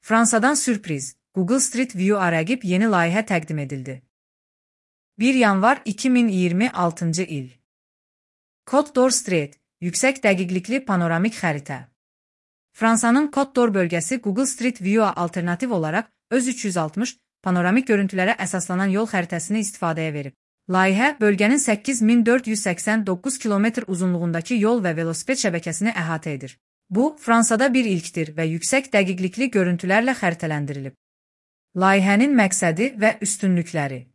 Fransadan sürpriz, Google Street View'a rəqib yeni layihə təqdim edildi. 1 yanvar 2026 il. Côte d'Or Street, yüksək dəqiqlikli panoramik xəritə. Fransanın Côte d'Or bölgəsi Google Street View'a alternativ olaraq öz 360 panoramik görüntülərə əsaslanan yol xəritəsini istifadəyə verib. Layihə, bölgənin 8489 kilometr uzunluğundakı yol və velosiped şəbəkəsini əhatə edir. Bu, Fransada bir ilkdir və yüksək dəqiqlikli görüntülərlə xəritələndirilib. Layihənin məqsədi və üstünlükləri.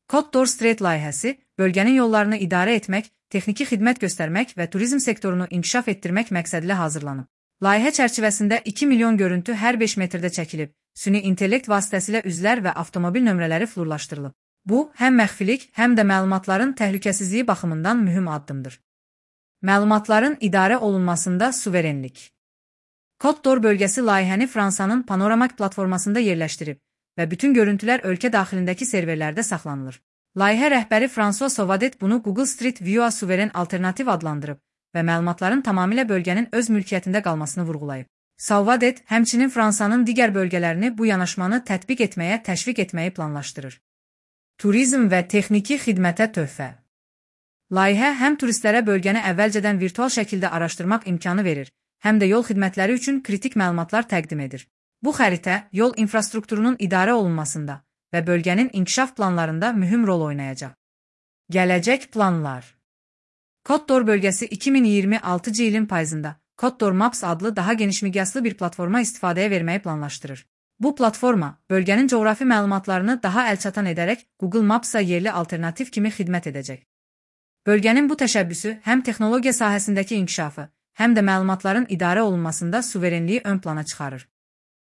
Côte d'Or Street layihəsi, bölgənin yollarını idarə etmək, texniki xidmət göstərmək və turizm sektorunu inkişaf etdirmək məqsədilə hazırlanıb. Layihə çərçivəsində 2 milyon görüntü hər 5 metrdə çəkilib, süni intellekt vasitəsilə üzlər və avtomobil nömrələri flurlaşdırılıb. Bu, həm məxfilik, həm də məlumatların təhlükəsizliyi baxımından mühüm addımdır. Məlumatların idarə olunmasında suverenlik. Côte d'Or bölgəsi layihəni Fransanın Panoramak platformasında yerləşdirib və bütün görüntülər ölkə daxilindəki serverlərdə saxlanılır. Layihə rəhbəri François Sauvadet bunu Google Street View'a suveren alternativ adlandırıb və məlumatların tamamilə bölgənin öz mülkiyyətində qalmasını vurğulayıb. Sauvadet həmçinin Fransanın digər bölgələrini bu yanaşmanı tətbiq etməyə təşviq etməyi planlaşdırır. Turizm və texniki xidmətə töhfə. Layihə həm turistlərə bölgəni əvvəlcədən virtual şəkildə araşdırmaq imkanı verir, həm də yol xidmətləri üçün kritik məlumatlar təqdim edir. Bu xəritə yol infrastrukturunun idarə olunmasında və bölgənin inkişaf planlarında mühüm rol oynayacaq. Gələcək planlar. Côte d'Or bölgəsi 2026 ilin payızında Côte d'Or Maps adlı daha geniş miqyaslı bir platforma istifadəyə verməyi planlaşdırır. Bu platforma, bölgənin coğrafi məlumatlarını daha əlçatan edərək Google Maps-a yerli alternativ kimi xidmət edəcək. Bölgənin bu təşəbbüsü həm texnologiya sahəsindəki inkişafı, həm də məlumatların idarə olunmasında suverenliyi ön plana çıxarır.